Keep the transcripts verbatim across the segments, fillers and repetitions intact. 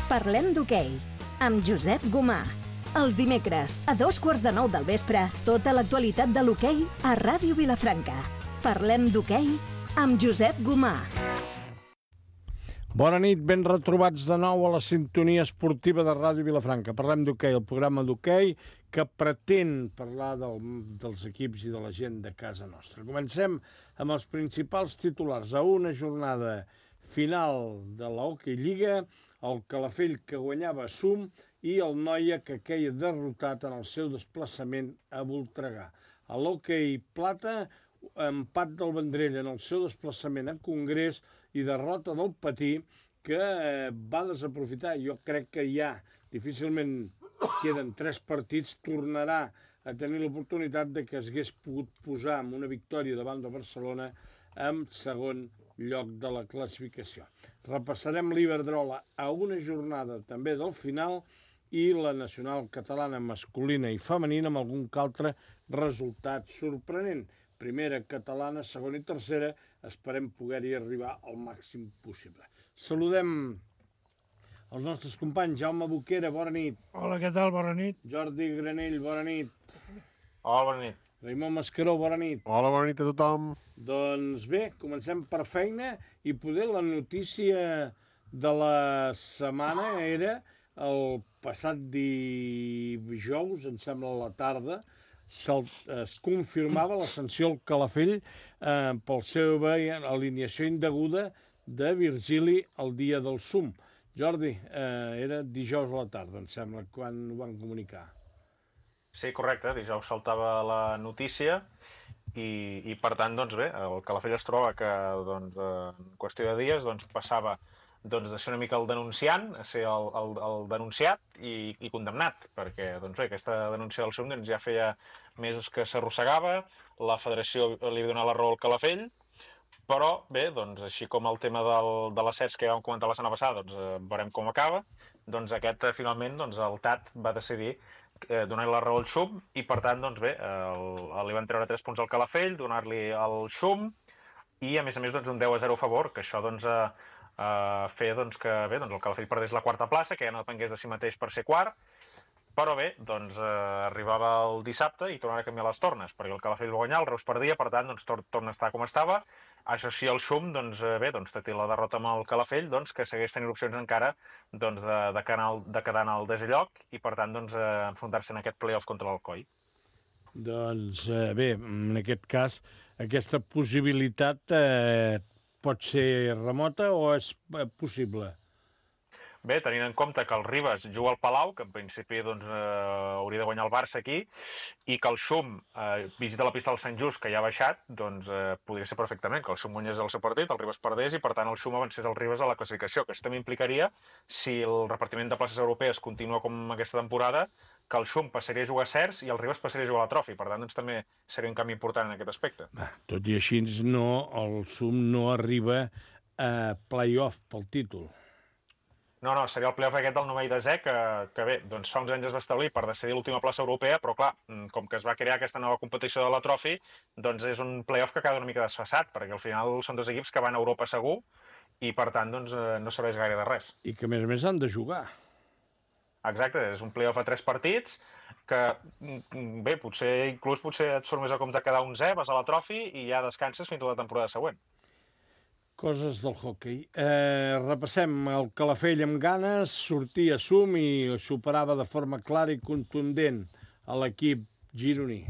Parlem d'hoquei, amb Josep Gomà. Els dimecres, a dos quarts de nou del vespre, tota l'actualitat de l'hoquei a Ràdio Vilafranca. Parlem d'hoquei amb Josep Gomà. Bona nit, ben retrobats de nou a la sintonia esportiva de Ràdio Vilafranca. Parlem d'hoquei, el programa d'hoquei que pretén parlar del, dels equips i de la gent de casa nostra. Comencem amb els principals titulars. A una jornada final de la Hockey Lliga, el Calafell que guanyava a Sum i el Noia que queia derrotat en el seu desplaçament a Voltregà. A l'Hockey Plata, empat del Vendrell en el seu desplaçament a Congrés i derrota del Patí que eh, va desaprofitar. Jo crec que ja difícilment queden tres partits, tornarà a tenir l'oportunitat de que s'hagués pogut posar amb una victòria davant de Barcelona en segon lloc de la classificació. Repassarem l'Iberdrola a una jornada també del final i la nacional catalana masculina i femenina amb algun altre resultat sorprenent. Primera catalana, segona i tercera, esperem poder-hi arribar al màxim possible. Saludem els nostres companys. Jaume Boquera, bona nit. Hola, què tal? Bona nit. Jordi Granell, bona nit. Hola, bona nit. Raimon Mascaró, bona nit. Hola, bona nit a tothom. Doncs bé, comencem per feina i poder la notícia de la setmana era el passat dijous, em sembla a la tarda, es confirmava la sanció al Calafell eh, pel seu alineació indeguda de Virgili el dia del Sum. Jordi, eh, era dijous a la tarda, em sembla, quan ho van comunicar. Sí, correcte, dijous saltava la notícia i, i per tant, doncs bé, el Calafell es troba que doncs, en qüestió de dies doncs, passava doncs, de ser una mica el denunciant a ser el, el, el denunciat i, i condemnat, perquè doncs bé, aquesta denúncia del Sum doncs, ja feia mesos que s'arrossegava, la federació li va donar la raó al Calafell, però bé, doncs, així com el tema del, de l'ascens que ja vam comentar la setmana passada, doncs, eh, veurem com acaba, doncs aquest finalment doncs, el T A T va decidir eh, donar-li la raó al Xum i per tant doncs, bé, el, el, li van treure tres punts al Calafell, donar-li el Xum i a més a més doncs, un deu a zero a favor, que això doncs, eh, Uh, fer doncs, que bé, doncs, el Calafell perdés la quarta plaça, que ja no depengués de si mateix per ser quart, però bé, doncs, uh, arribava el dissabte i tornava a canviar les tornes, perquè el Calafell va guanyar, el Reus perdia, per tant, doncs, tor torna a estar com estava. Això sí, el Xum, doncs, bé, doncs, té la derrota amb el Calafell, doncs, que segueix tenint opcions encara doncs, de, de, canal, de quedar en el desè lloc i, per tant, doncs, uh, enfrontar-se en aquest play-off contra l'Alcoi. Doncs eh, bé, en aquest cas, aquesta possibilitat eh, pot ser remota o és possible? Bé, tenint en compte que el Ribas juga al Palau, que en principi doncs, eh, hauria de guanyar el Barça aquí, i que el Xum eh, visita la pista del Sant Just, que ja ha baixat, doncs eh, podria ser perfectament que el Xum guanyés el seu partit, el Ribas perdés, i per tant el Xum avancés el Ribas a la classificació, que això també implicaria, si el repartiment de places europees continua com aquesta temporada, que el Xum passaria a jugar a Cercs i el Ribas passaria a jugar a la Trofi. Per tant, doncs, també seria un canvi important en aquest aspecte. Ah, tot i així, no, el Xum no arriba a play-off pel títol. No, no, seria el play-off aquest del novè i desè, que, que bé, doncs fa uns anys es va establir per decidir l'última plaça europea, però clar, com que es va crear aquesta nova competició de la Trofi, doncs és un play-off que queda una mica desfasat, perquè al final són dos equips que van a Europa segur i per tant doncs, no serveix gaire de res. I que a més a més han de jugar. Exacte, és un play-off a tres partits que, bé, potser inclús potser et surt més a compte quedar onzè, vas a la Trofi i ja descanses fins a la temporada següent. Coses del hoquei. Eh, repassem el Calafell amb ganes, sortia a Sum i superava de forma clara i contundent a l'equip gironí.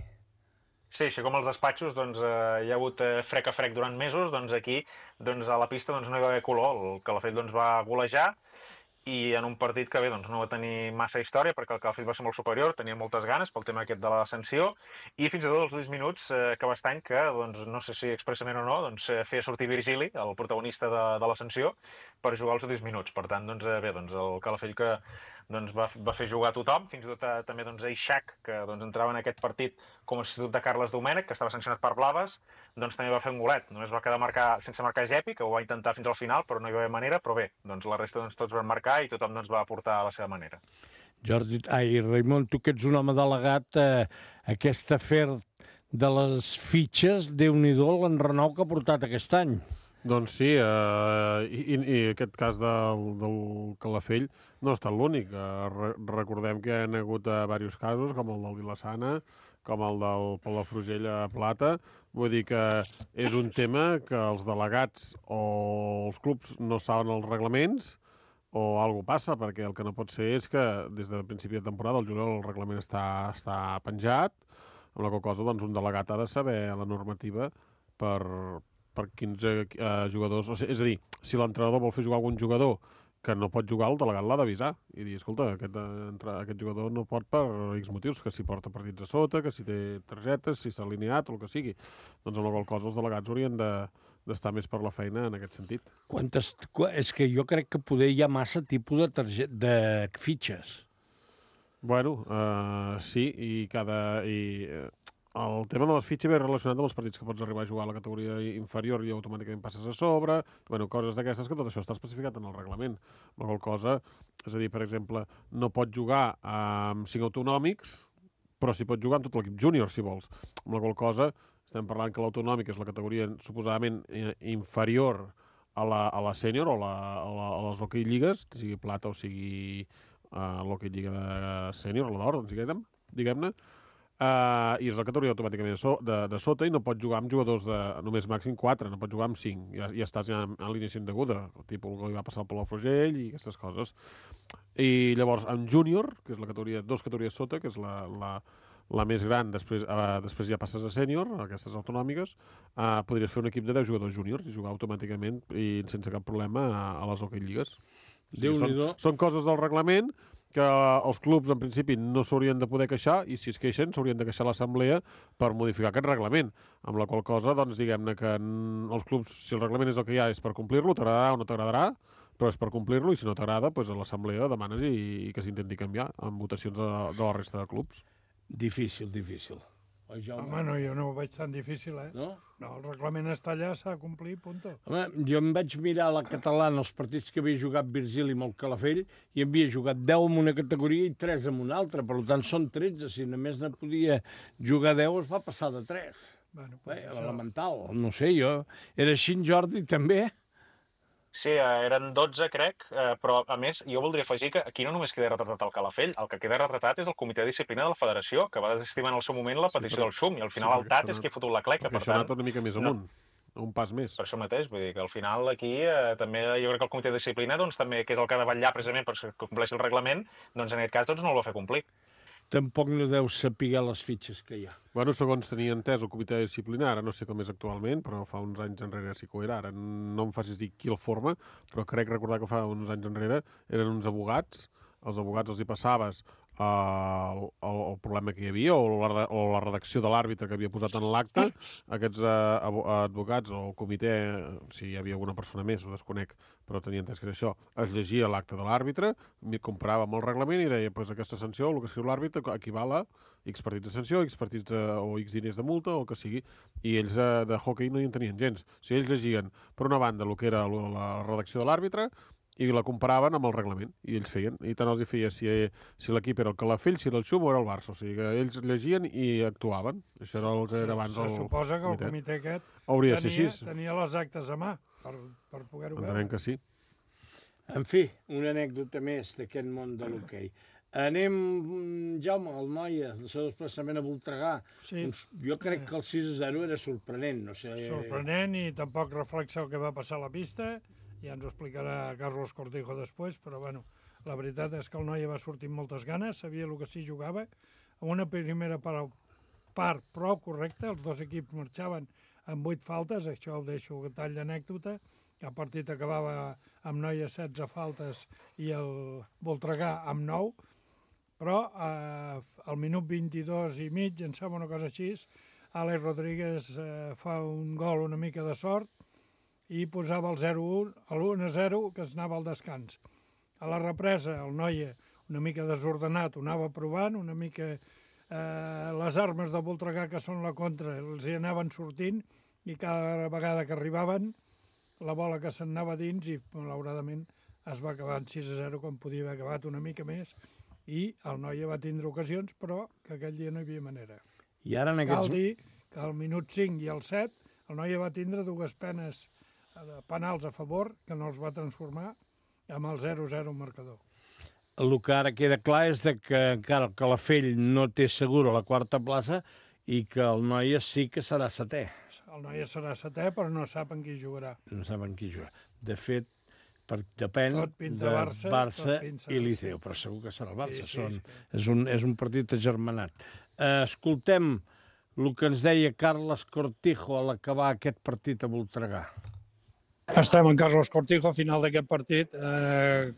Sí, així com als despatxos doncs, eh, hi ha hagut eh, frec a frec durant mesos, doncs aquí doncs, a la pista doncs, no hi va haver color. El Calafell doncs, va golejar i en un partit que bé, doncs, no va tenir massa història perquè el Calafell va ser molt superior, tenia moltes ganes pel tema aquest de la sanció i fins i tot els últims minuts eh, que Bastany, que doncs, no sé si expressament o no, doncs, eh, feia sortir Virgili, el protagonista de, de la sanció, per jugar els últims minuts. Per tant, doncs, eh, bé, doncs, el Calafell que doncs, va, va fer jugar a tothom, fins i tot a, també doncs, a Ixac, que doncs, entrava en aquest partit com a substitut de Carles Domènech, que estava sancionat per blaves, doncs també va fer un golet. Només va quedar marcar, sense marcar Gepi, que ho va intentar fins al final, però no hi va haver manera, però bé, doncs, la resta doncs, tots van marcar i tothom doncs, va aportar a la seva manera. Jordi, ai, Raimon, tu que ets un home delegat, eh, aquest afer de les fitxes, Déu-n'hi-do l'enrenou que ha portat aquest any. Doncs sí, eh, i, i aquest cas del, del Calafell no ha estat l'únic. Eh, re, recordem que hi ha hagut eh, diversos casos, com el del Vilassana, com el del Palafrugell a Plata. Vull dir que és un tema que els delegats o els clubs no saben els reglaments o alguna passa, perquè el que no pot ser és que des del principi de temporada el juliol el reglament està, està penjat, amb la qual cosa doncs, un delegat ha de saber la normativa per, per quins eh, jugadors... O sigui, és a dir, si l'entrenador vol fer jugar algun jugador que no pot jugar, el delegat l'ha d'avisar i dir, escolta, aquest, entre, aquest jugador no pot per X motius, que si porta partits a sota, que si té targetes, si s'ha alineat o el que sigui. Doncs amb la qual cosa els delegats haurien de, d'estar més per la feina en aquest sentit. Quantes, és que jo crec que poder hi ha massa tipus de, target, de fitxes. Bueno, uh, sí, i cada... I, uh, el tema de les fitxes ve relacionat amb els partits que pots arribar a jugar a la categoria inferior i automàticament passes a sobre, bueno, coses d'aquestes que tot això està especificat en el reglament. La qual cosa, és a dir, per exemple, no pot jugar amb cinc autonòmics, però sí pot jugar amb tot l'equip júnior, si vols. Amb la qual cosa, estem parlant que l'autonòmic és la categoria suposadament inferior a la, a la sènior o la, a, la, a les hoquei lligues, sigui plata o sigui uh, l'hoquei lliga de sènior, la d'or, doncs diguem-ne, diguem-ne. Uh, i és la categoria automàticament de, so, de, de sota i no pot jugar amb jugadors de només màxim quatre, no pot jugar amb cinc. Ja, ja estàs ja en, en línia indeguda, el tipus que li va passar al Palafrugell i aquestes coses. I llavors, amb júnior, que és la categoria, dos categories sota, que és la, la, la més gran, després, uh, després ja passes a sènior, aquestes autonòmiques, uh, podries fer un equip de deu jugadors júniors i jugar automàticament i sense cap problema a, a les hoquei lligues. Sí, són, són coses del reglament que els clubs, en principi, no s'haurien de poder queixar i, si es queixen, s'haurien de queixar a l'assemblea per modificar aquest reglament. Amb la qual cosa, doncs, diguem-ne que els clubs, si el reglament és el que hi ha, és per complir-lo, t'agradarà o no t'agradarà, però és per complir-lo, i si no t'agrada, doncs a l'assemblea demanes i, i que s'intenti canviar amb votacions de, de la resta de clubs. Difícil, difícil. Oi, Jaume? Home, no, jo no ho veig tan difícil, eh? No? No, el reglament està allà, s'ha de complir, punto. Home, jo em vaig mirar a la catalana els partits que havia jugat Virgili amb el Calafell i havia jugat deu en una categoria i tres en una altra, per tant són tretze. Si només ne podia jugar deu, es va passar de tres. Bueno, pues Bé, això... elemental, no sé, jo... Era així, Jordi, també? Sí, eren dotze, crec, però, a més, jo voldria afegir que aquí no només queda retratat el Calafell, el que queda retratat és el comitè de disciplina de la federació, que va desestimar en el seu moment la petició sí, però... del Xum, i al final sí, el T A T és qui ha fotut la cleca, per tant... Perquè això ha anat una mica més amunt, no. un pas més. Per això mateix, vull dir que al final aquí eh, també jo crec que el comitè de disciplina, doncs, també, que és el que ha de vetllar precisament perquè compleixi el reglament, doncs en aquest cas doncs, no el va fer complir. Tampoc no deu saber les fitxes que hi ha. Bueno, segons tenia entès el comitè disciplinar, ara no sé com és actualment, però fa uns anys enrere sí que ho era, ara no em facis dir qui el forma, però crec recordar que fa uns anys enrere eren uns abogats, els abogats els hi passaves el, el, el problema que hi havia o la, o la redacció de l'àrbitre que havia posat en l'acte, aquests uh, advocats o el comitè, si hi havia alguna persona més, ho desconec, però tenia entès que era això, es llegia l'acte de l'àrbitre, comparava amb el reglament i deia, pues, aquesta sanció, el que escriu l'àrbitre, equival a X partits de sanció, X partits de, o X diners de multa, o el que sigui, i ells uh, de hockey no hi en tenien gens. O sigui, ells llegien, per una banda, el que era la redacció de l'àrbitre, i la comparaven amb el reglament, i ells feien. I tant els hi feia si, si l'equip era el Calafell, si era el Xum o era el Barça. O sigui que ells llegien i actuaven. Això era el que era abans el Se suposa que el comitè aquest hauria tenia, tenia les actes a mà per, per poder-ho veure. Entenem que sí. En fi, una anècdota més d'aquest món de l'hoquei. Anem, Jaume, el Noia, el seu desplaçament a Voltregà. Sí. Jo crec que el sis a zero era sorprenent. No sé... Sorprenent i tampoc reflexa el que va passar a la pista. Ja ens ho explicarà Carlos Cortijo després, però bueno, la veritat és que el Noia va sortir amb moltes ganes, sabia el que s'hi jugava. En una primera part, part prou correcta, els dos equips marxaven amb vuit faltes, això ho deixo a tall d'anècdota. El partit acabava amb Noia setze faltes i el Voltregà amb nou, però eh, al minut vint-i-dos i mig, em sembla una cosa així, Àlex Rodríguez eh, fa un gol una mica de sort, i posava el zero a un, l'u a zero, que es anava al descans. A la represa, el Noia, una mica desordenat, ho anava provant, una mica eh, les armes de Voltregà, que són la contra, els hi anaven sortint, i cada vegada que arribaven, la bola que se'n anava dins, i malauradament es va acabar en sis a zero, com podia haver acabat una mica més, i el Noia va tindre ocasions, però que aquell dia no hi havia manera. I ara en aquests... Cal dir que al minut cinc i al set, el Noia va tindre dues penes penals a favor, que no els va transformar amb el zero zero marcador. El que ara queda clar és de que encara el Calafell no té segura la quarta plaça i que el Noia sí que serà setè. El Noia serà setè, però no sap en qui jugarà. No saben qui jugarà. De fet, per, depèn Tot pinta de Barça, Barça tot pinta i Barça. Liceo, però segur que serà el Barça. Sí, sí, Són, sí. és, un, és un partit agermanat. Uh, escoltem el que ens deia Carles Cortijo a l'acabar aquest partit a Voltregà. Estem en Carlos Cortijo, final d'aquest partit. Eh,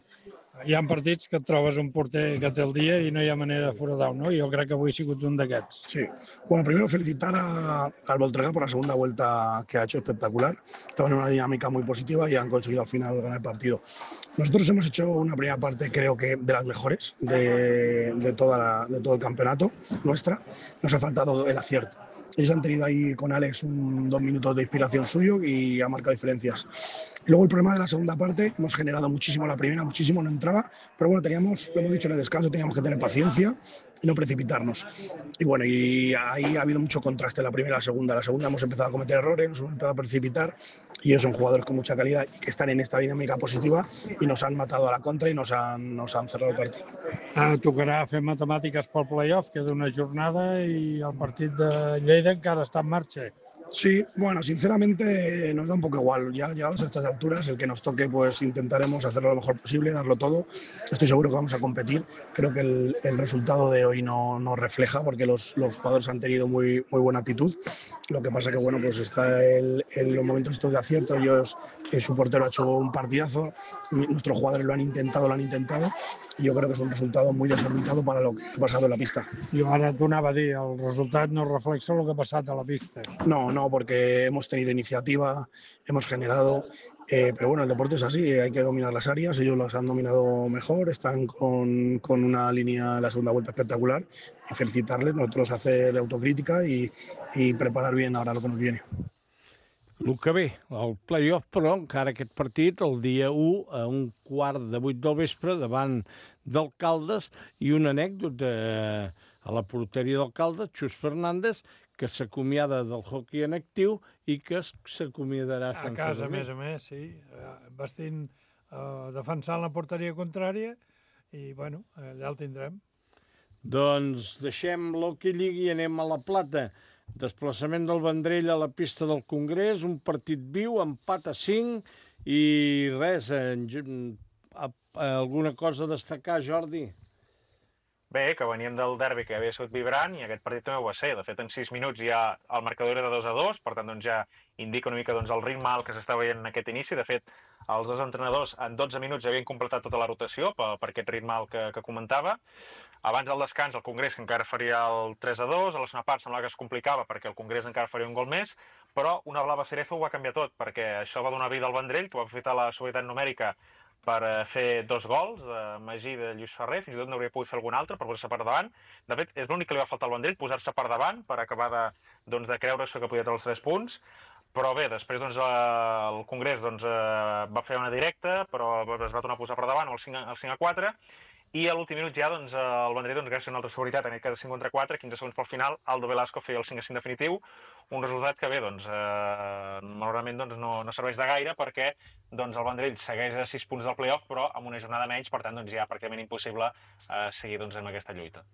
hi ha partits que et trobes un porter que té el dia i no hi ha manera de foradar, ¿no? Jo crec que avui ha sigut un d'aquests. Sí. Bueno, primero felicitar a, al Voltregà por la segunda vuelta que ha hecho espectacular. Estaban en una dinámica muy positiva y han conseguido al final ganar el partido. Nosotros hemos hecho una primera parte, creo que de las mejores de, de, toda la, de todo el campeonato nuestra. Nos ha faltado el acierto. Ellos han tenido ahí con Alex un, dos minutos de inspiración suyo y ha marcado diferencias. Luego el problema de la segunda parte, hemos generado muchísimo la primera, muchísimo, no entraba, pero bueno, teníamos, lo hemos dicho en el descanso, teníamos que tener paciencia y no precipitarnos. Y bueno, y ahí ha habido mucho contraste la primera y la segunda. La segunda hemos empezado a cometer errores, nos hemos empezado a precipitar y ellos son jugadores con mucha calidad y que están en esta dinámica positiva y nos han matado a la contra y nos han, nos han cerrado el partido. Ara tocarà fer matemàtiques pel playoff, queda una jornada i el partit de Lleida encara està en marxa. Sí, bueno, sinceramente nos da un poco igual. Ya llegados a estas alturas, el que nos toque, pues intentaremos hacerlo lo mejor posible, darlo todo. Estoy seguro que vamos a competir. Creo que el, el resultado de hoy no, no refleja, porque los, los jugadores han tenido muy, muy buena actitud. Lo que pasa que, bueno, pues está el, el, los momentos estos de acierto. Ellos, eh, su portero ha hecho un partidazo. Nuestros jugadores lo han intentado, lo han intentado. Y yo creo que es un resultado muy desorbitado para lo que ha pasado en la pista. Jo ara t'ho anava a dir, el resultat no reflexa el que ha passat a la pista. No, no, porque hemos tenido iniciativa, hemos generado, eh, pero bueno, el deporte es así, hay que dominar las áreas, ellos las han dominado mejor, están con, con una línea en la segunda vuelta espectacular y felicitarles, nosotros hacer autocrítica y, y preparar bien ahora lo que nos viene. El que ve, el playoff, però encara aquest partit, el dia u, a un quart de vuit del vespre, davant d'Alcaldes, i una anècdota eh, a la porteria d'Alcaldes, Xus Fernández, que s'acomiada del hoquei en actiu i que s'acomiadarà A sense casa, a dormir. més a més, sí, eh, vestint, eh, defensant la porteria contrària i, bueno, allà el tindrem. Doncs deixem l'hoquei lliga i anem a la Plata. Desplaçament del Vendrell a la pista del Congrés, un partit viu, empat a cinc i res, en, a, a, alguna cosa a destacar, Jordi? Bé, que veníem del derbi que havia sigut vibrant i aquest partit també ho va ser. De fet, en sis minuts ja el marcador era de dos a dos, per tant doncs, ja indica una mica doncs, el ritme alt que s'està veient en aquest inici. De fet, els dos entrenadors en dotze minuts ja havien completat tota la rotació per, per aquest ritme alt que, que comentava. Abans del descans, el Congrés, que encara faria el tres a dos, a la segona part semblava que es complicava perquè el Congrés encara faria un gol més, però una blava Cerezo ho va canviar tot, perquè això va donar vida al Vendrell, que va aprofitar la superioritat numèrica per fer dos gols, de Magí i de Lluís Ferrer, fins i tot n'hauria pogut fer algun altre per posar-se per davant. De fet, és l'únic que li va faltar al Vendrell, posar-se per davant per acabar de, doncs, de creure-se que podia treure els tres punts. Però bé, després doncs, el Congrés doncs, va fer una directa, però es va tornar a posar per davant el cinc a quatre, i a l'últim minut ja doncs, el Vendrell, doncs, gràcies a una altra seguretat, en aquest cas de cinc contra quatre, quinze segons pel final, Aldo Velasco feia el cinc a cinc definitiu, un resultat que bé, doncs, eh, malauradament doncs, no, no serveix de gaire perquè doncs, el Vendrell segueix a sis punts del playoff, però amb una jornada menys, per tant doncs, ja pràcticament impossible eh, seguir doncs, amb aquesta lluita.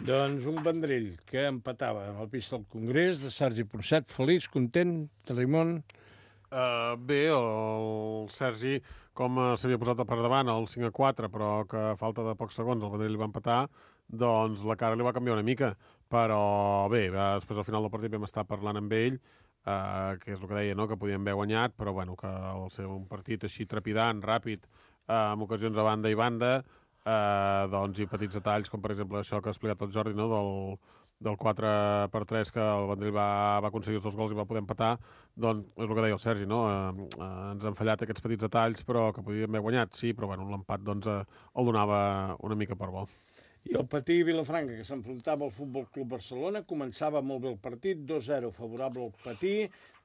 Doncs un Vendrell que empatava en el pista del Congrés, de Sergi Ponset, feliç, content, de Raimon. Uh, bé, el Sergi, com s'havia posat per davant el cinc a quatre, però que a falta de pocs segons el Vendrell li va empatar, doncs la cara li va canviar una mica. Però bé, va, després al final del partit vam estar parlant amb ell, uh, que és el que deia, no? Que podien haver guanyat, però bueno, que al ser un partit així trepidant, ràpid, uh, amb ocasions a banda i banda, uh, doncs i petits detalls, com per exemple això que ha explicat el Jordi, no? del... del quatre per tres que el Vendrell va, va aconseguir els dos gols i va poder empatar, doncs és el que deia el Sergi, no? Eh, eh, ens han fallat aquests petits detalls, però que podíem haver guanyat, sí, però bueno, l'empat doncs, eh, el donava una mica per bo. I el Patí Vilafranca, que s'enfrontava al Futbol Club Barcelona, començava molt bé el partit, dos a zero favorable al Patí,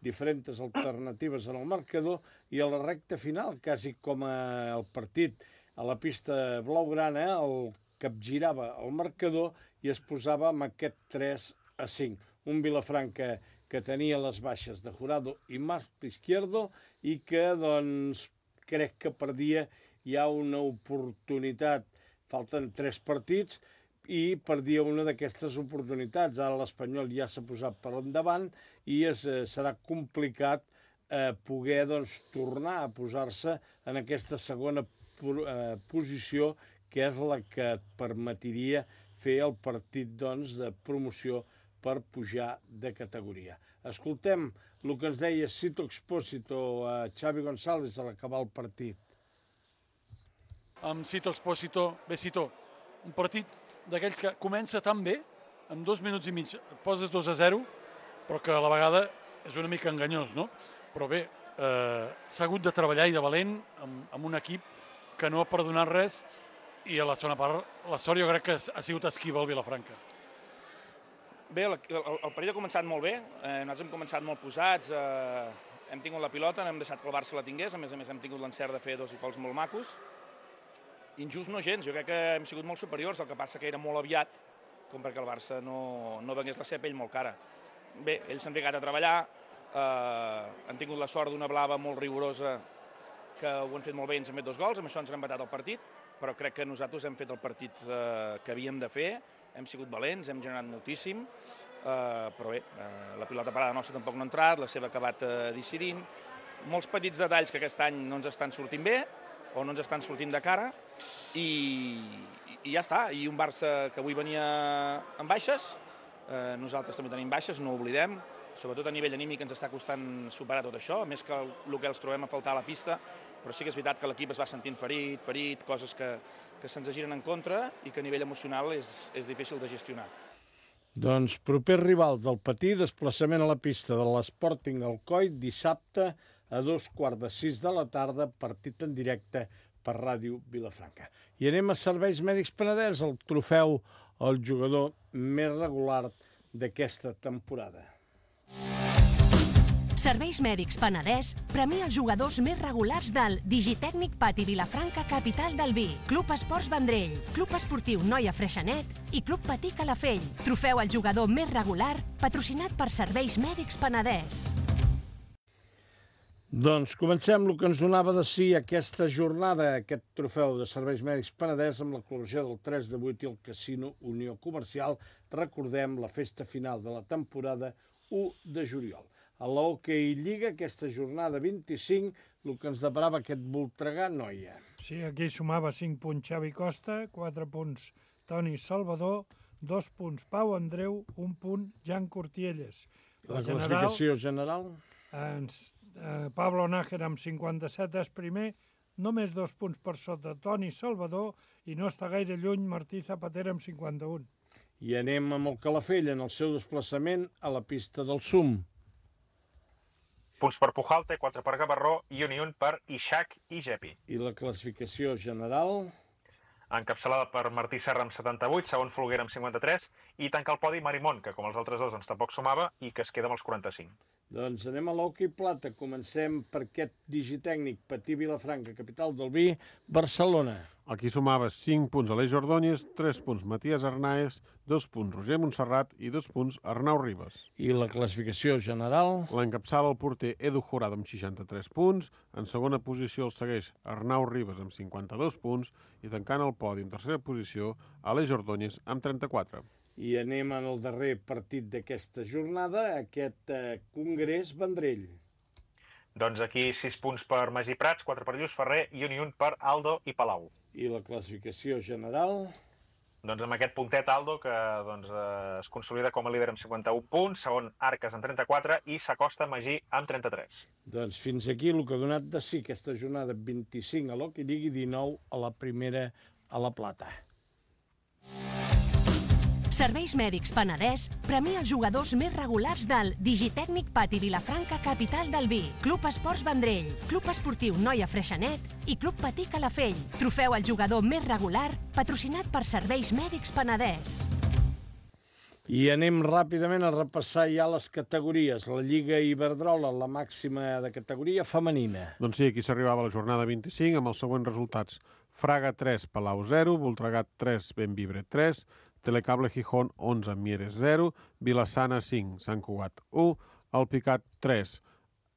diferents alternatives en el marcador, i a la recta final, quasi com el partit a la pista blaugrana, el capgirava el marcador i es posava amb aquest tres a cinc. Un Vilafranca que tenia les baixes de Jurado i Marc Izquierdo i que, doncs, crec que per dia hi ha una oportunitat. Falten tres partits i perdia una d'aquestes oportunitats. Ara l'Espanyol ja s'ha posat per endavant i es, eh, serà complicat eh, poder doncs, tornar a posar-se en aquesta segona eh, posició, que és la que et permetiria fer el partit doncs, de promoció per pujar de categoria. Escoltem el que ens deia Sito Expósito a Xavi González a l'acabar el partit. Amb Sito Expósito, bé Sito, un partit d'aquells que comença tan bé, en dos minuts i mig et poses dos a zero, però que a la vegada és una mica enganyós, no? Però bé, eh, s'ha hagut de treballar i de valent amb, amb un equip que no ha perdonat res i a la segona part la sort jo crec que ha sigut esquiva al Vilafranca. Bé, el, el, el partit ha començat molt bé, eh, nosaltres hem començat molt posats, eh, hem tingut la pilota, no hem deixat que el Barça la tingués, a més a més hem tingut l'encert de fer dos gols molt macos. Injust no gens, jo crec que hem sigut molt superiors, el que passa que era molt aviat, com perquè el Barça no, no vengués la seva pell molt cara. Bé, ells s'han ficat a treballar, eh, han tingut la sort d'una blava molt rigorosa, que ho han fet molt bé i ens han fet dos gols, amb això ens han empatat el partit, però crec que nosaltres hem fet el partit eh, que havíem de fer, hem sigut valents, hem generat moltíssim, eh, però bé, eh, la pilota parada nostra tampoc no ha entrat, la seva ha acabat eh, decidint, molts petits detalls que aquest any no ens estan sortint bé, o no ens estan sortint de cara, i, i ja està. I un Barça que avui venia en baixes, eh, nosaltres també tenim baixes, no ho oblidem, sobretot a nivell anímic ens està costant superar tot això, a més que el, el que els trobem a faltar a la pista, però sí que és veritat que l'equip es va sentint ferit, ferit, coses que, que se'ns giren en contra i que a nivell emocional és, és difícil de gestionar. Doncs proper rival del Patí, desplaçament a la pista de l'Sporting Alcoi, dissabte a dos quarts de sis de la tarda, partit en directe per Ràdio Vilafranca. I anem a Serveis Mèdics Penedès, el trofeu al jugador més regular d'aquesta temporada. Serveis Mèdics Penedès premia els jugadors més regulars del Digitècnic Pati Vilafranca, capital del vi, Club Esports Vendrell, Club Esportiu Noia Freixenet i Club Patí Calafell. Trofeu al jugador més regular, patrocinat per Serveis Mèdics Penedès. Doncs comencem el que ens donava de si aquesta jornada, aquest trofeu de Serveis Mèdics Penedès amb la col·laboració del tres de vuit i el Casino Unió Comercial. Recordem la festa final de la temporada u de juliol. A l'Hockey Lliga, aquesta jornada vint-i-cinc, el que ens deparava aquest Voltregà Noia. Sí, aquí sumava cinc punts Xavi Costa, quatre punts Toni Salvador, dos punts Pau Andreu, un punt Jan Cortielles. La, la classificació general? Ens, eh, Pablo Nájera amb cinquanta-set és primer, només dos punts per sota Toni Salvador i no està gaire lluny Martí Zapatera amb cinquanta-un. I anem amb el Calafell en el seu desplaçament a la pista del Sum. Punts per Pujalte, quatre per Gavarró i un i un per Ixac i Gepi. I la classificació general? Encapçalada per Martí Serra amb setanta-vuit, segon Folguera amb cinquanta-tres i tanca el podi Marimón, que com els altres dos doncs, tampoc sumava i que es queda amb els quaranta-cinc. Doncs anem a l'Hockey Plata. Comencem per aquest digitècnic Patí Vilafranca, capital del vi, Barcelona. Aquí sumava cinc punts Aleix Ordóñez, tres punts Matías Arnaez, dos punts Roger Montserrat i dos punts Arnau Ribas. I la classificació general? L'encapçala el porter Edu Jurado amb seixanta-tres punts, en segona posició el segueix Arnau Ribas amb cinquanta-dos punts i tancant el podi en tercera posició Aleix Ordóñez amb trenta-quatre. I anem en el darrer partit d'aquesta jornada, aquest eh, Congrés Vendrell. Doncs aquí sis punts per Magí Prats, quatre per Lluís Ferrer i un i un per Aldo i Palau. I la classificació general? Doncs amb aquest puntet Aldo, que doncs, eh, es consolida com a líder amb cinquanta-un punts, segon Arques amb trenta-quatre i s'acosta Magí amb trenta-tres. Doncs fins aquí el que ha donat de si aquesta jornada vint-i-cinc a l'Hockey Lliga i dinou a la primera a la Plata. Serveis Mèdics Penedès premia els jugadors més regulars del Digitècnic Pati Vilafranca, capital del vi, Club Esports Vendrell, Club Esportiu Noia Freixenet i Club Patí Calafell. Trofeu al jugador més regular, patrocinat per Serveis Mèdics Penedès. I anem ràpidament a repassar ja les categories. La Lliga Iberdrola, la màxima de categoria femenina. Doncs sí, aquí s'arribava a la jornada vint-i-cinc amb els següents resultats. Fraga tres, Palau zero, Voltregat tres, Benvibre tres, Telecable Gijón onze, Mieres zero, Vilassana cinc, Sant Cugat u, Alpicat tres,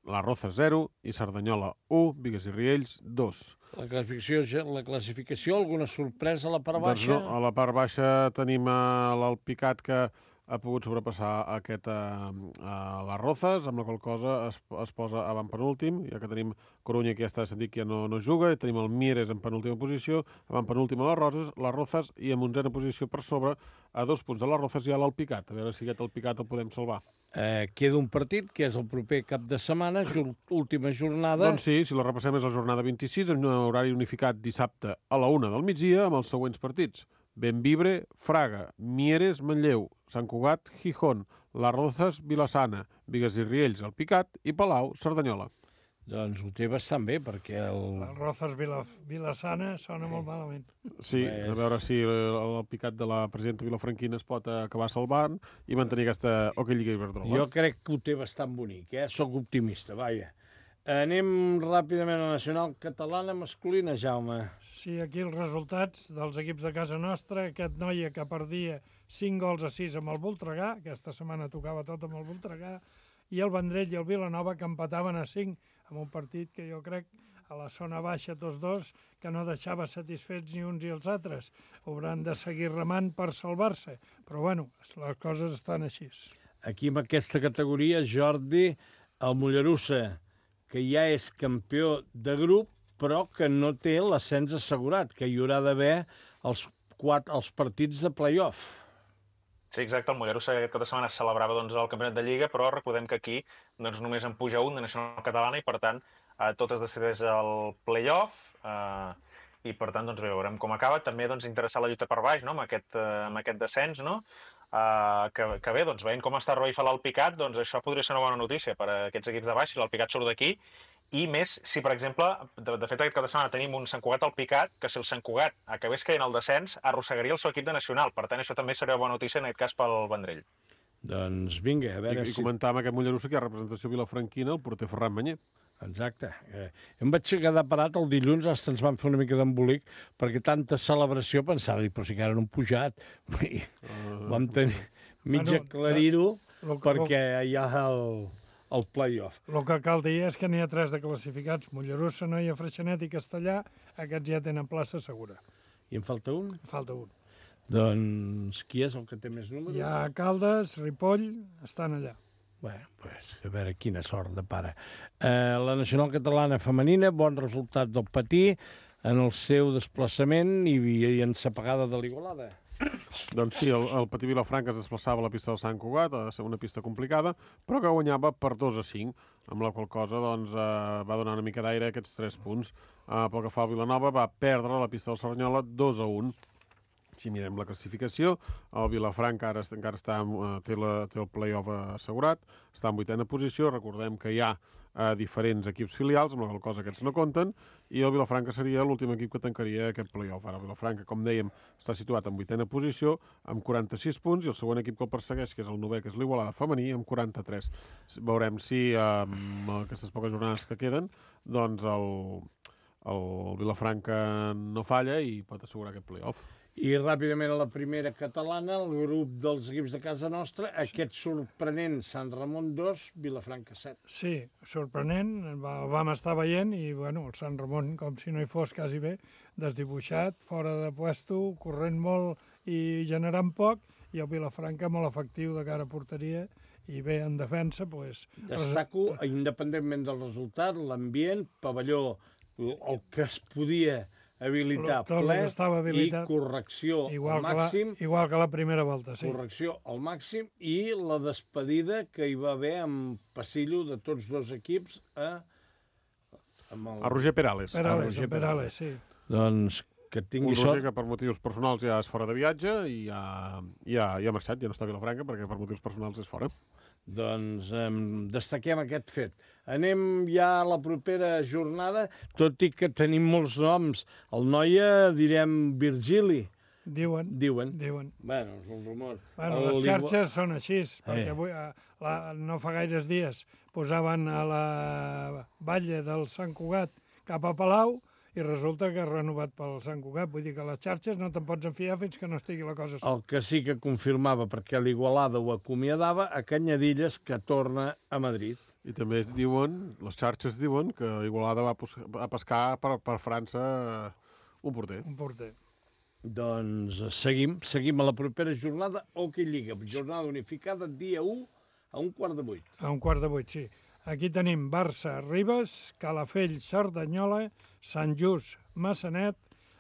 La Rozas zero i Cerdanyola u, Bigues i Riells dos. La classificació, la classificació, alguna sorpresa a la part baixa? Doncs no, a la part baixa tenim l'Alpicat que ha pogut sobrepassar aquest a, a les Rozas, amb la qual cosa es, es posa avantpenúltim, ja que tenim Corunya, que ja està sentit que ja no, no juga, i tenim el Mieres en penúltima posició, avantpenúltim a les Rozas, les Rozas, i en onzena posició per sobre, a dos punts de les Rozas, hi ha l'Alpicat. A veure si aquest Alpicat el podem salvar. Eh, queda un partit, que és el proper cap de setmana, última jornada. Doncs sí, si la repassem és la jornada vint-i-sis, en un horari unificat dissabte a la una del migdia, amb els següents partits. Benvibre, Fraga, Mieres, Manlleu, Sant Cugat, Gijón, Les Rozas, Vilassana, Bigues i Riells, Alpicat i Palau, Cerdanyola. Doncs ho té bastant bé, perquè el... Les Rozas, Vila, Vilassana sona molt malament. Sí, a veure si l'Alpicat de la presidenta vilafranquina es pot acabar salvant i mantenir aquesta Hockey Lliga Iberdrola. Jo crec que ho té bastant bonic, eh? Soc optimista, vaja. Anem ràpidament a la nacional catalana masculina, Jaume. Sí, aquí els resultats dels equips de casa nostra. Aquest Noia que perdia cinc gols a sis amb el Voltregà, aquesta setmana tocava tot amb el Voltregà, i el Vendrell i el Vilanova que empataven a cinc amb un partit que jo crec a la zona baixa tots dos, que no deixava satisfets ni uns i els altres. Hauran de seguir remant per salvar-se, però bueno, les coses estan així. Aquí en aquesta categoria, Jordi, el Mollerussa, que ja és campió de grup, però que no té l'ascens assegurat, que hi haurà d'haver els, quatre, els partits de play-off. Sí, exacte. El Mollerussa aquesta setmana celebrava doncs, el campionat de Lliga, però recordem que aquí doncs, només en puja un de nacional catalana i, per tant, eh, tot es decideix al play-off eh, i, per tant, doncs, bé, veurem com acaba. També doncs, interessar la lluita per baix, no?, amb, aquest, eh, amb aquest descens, no?, Uh, que, que bé, doncs, veient com està revifat l'Alpicat, doncs això podria ser una bona notícia per a aquests equips de baix, si l'Alpicat surt d'aquí, i més si, per exemple, de, de fet aquest cap de setmana tenim un Sant Cugat Alpicat, que si el Sant Cugat acabés caient el descens, arrossegaria el seu equip de nacional, per tant això també seria una bona notícia en aquest cas pel Vendrell. Doncs vinga, a veure I, si... I comentar amb aquest Mollerussa que hi ha representació vilafranquina, el porter Ferran Manyer. Exacte. Eh, em vaig quedar parat el dilluns, hasta ens van fer una mica d'embolic, perquè tanta celebració pensava, però si encara no han pujat. Uh, Vam tenir mig bueno, aclarir-ho lo, perquè hi ha el, el play-off. El que cal dir és que n'hi ha tres de classificats, Mollerussa, Noia, Freixenet i Castellà, aquests ja tenen plaça segura. I en falta un? Falta un. Doncs qui és el que té més números? Hi ha Caldes, Ripoll, estan allà. Bé, pues, a veure quina sort de pare. Eh, la nacional catalana femenina, bon resultat del Patí en el seu desplaçament i, i ensapegada de l'Igualada. Doncs sí, el, el Patí Vilafranca es desplaçava a la pista del Sant Cugat, ha de ser una pista complicada, però que guanyava per dos a cinc, amb la qual cosa doncs, eh, va donar una mica d'aire a aquests tres punts. Eh, pel que fa al Vilanova, va perdre a la pista del Cerdanyola dos a un. Si mirem la classificació, el Vilafranca ara encara està, té, la, té el play-off assegurat, està en vuitena posició, recordem que hi ha eh, diferents equips filials, amb la qual cosa aquests no compten, i el Vilafranca seria l'últim equip que tancaria aquest play-off. Ara el Vilafranca, com dèiem, està situat en vuitena posició, amb quaranta-sis punts, i el següent equip que el persegueix, que és el novè, que és l'Igualada femení, amb quaranta-tres. Veurem si amb aquestes poques jornades que queden, doncs el, el Vilafranca no falla i pot assegurar aquest play-off. I ràpidament a la primera catalana, el grup dels equips de casa nostra, aquest sorprenent Sant Ramon dos, Vilafranca set. Sí, sorprenent, el vam estar veient i bueno, el Sant Ramon, com si no hi fos quasi bé, desdibuixat, fora de puesto, corrent molt i generant poc, i el Vilafranca molt efectiu de cara a porteria i bé en defensa. Pues, Destaco, res... independentment del resultat, l'ambient, pavelló, el que es podia habilitar ple i correcció igual al màxim. Que la, igual que la primera volta, sí. Correcció al màxim i la despedida que hi va haver amb passillo de tots dos equips a... El... A Roger Perales. Perales, a Roger Perales, sí. Doncs que tingui sort. Un Roger sort. que per motius personals ja és fora de viatge i ja, ja, ja ha marxat, ja no està a Vilafranca perquè per motius personals és fora. Doncs eh, destaquem aquest fet. Anem ja a la propera jornada, tot i que tenim molts noms. El Noia direm Virgili. Diuen. Diuen. Diuen. Bueno, és un rumor. Bueno, les xarxes són així, perquè avui, la, no fa gaires dies posaven a la batlle del Sant Cugat cap a Palau i resulta que ha renovat pel Sant Cugat. Vull dir que les xarxes no te'n pots enfiar fins que no estigui la cosa El que sí que confirmava, perquè l'Igualada ho acomiadava, a Canyadilles, que torna a Madrid. I també diuen, les xarxes diuen, que Igualada va a pescar per, per França un porter. Un porter. Doncs seguim, seguim a la propera jornada Hockey Lliga, jornada unificada, dia u a un quart de vuit. A un quart de vuit, sí. Aquí tenim Barça, Ribes, Calafell, Cerdanyola, Sant Just, Massanet,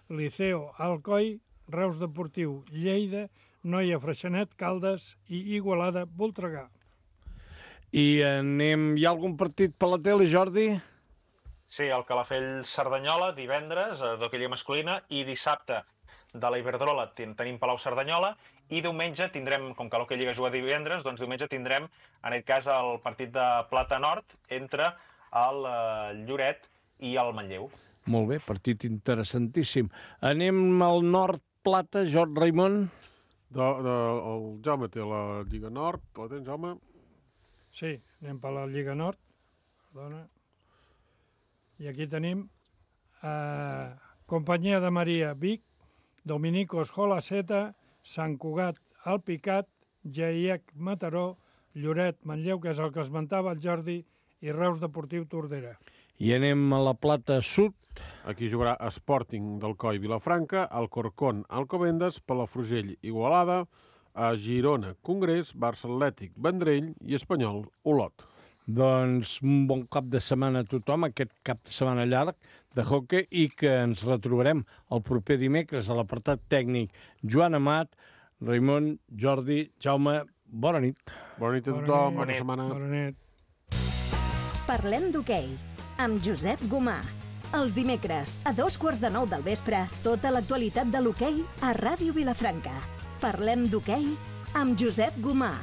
Liceo, Alcoi, Reus Deportiu, Lleida, Noia, Freixenet, Caldes i Igualada, Voltregà. I anem... Hi ha algun partit per la tele, Jordi? Sí, el Calafell Cerdanyola, divendres, d'hoquei lliga masculina, i dissabte de la Iberdrola tenim Palau Cerdanyola, i diumenge tindrem, com que l'hoquei lliga juga divendres, doncs diumenge tindrem, en aquest cas, el partit de Plata Nord entre el Lloret i el Manlleu. Molt bé, partit interessantíssim. Anem al Nord Plata, Jordi Raimon. De, de, el Jaume té la Lliga Nord, la tens, Jaume? Sí, anem per la Lliga Nord. Perdona. I aquí tenim eh, Companyia de Maria, Vic, Dominicos, Holaceta, Sant Cugat, Alpicat, Geiec, Mataró, Lloret, Manlleu, que és el que esmentava el Jordi, i Reus Deportiu, Tordera. I anem a la Plata Sud. Aquí jugarà Sporting d'Alcoi, Vilafranca, Alcorcón, Alcobendas, Palafrugell, Igualada, a Girona, Congrés, Barça Atlètic, Vendrell i Espanyol, Olot. Doncs un bon cap de setmana a tothom, aquest cap de setmana llarg de hoquei, i que ens retrobarem el proper dimecres a l'apartat tècnic. Joan Amat, Raimon, Jordi, Jaume, bona nit. Bona nit a tothom, bona setmana. Bona nit. Parlem d'hoquei amb Josep Gomà. Els dimecres, a dos quarts de nou del vespre, tota l'actualitat de l'hoquei a Ràdio Vilafranca. Parlem d'hoquei amb Josep Gomà.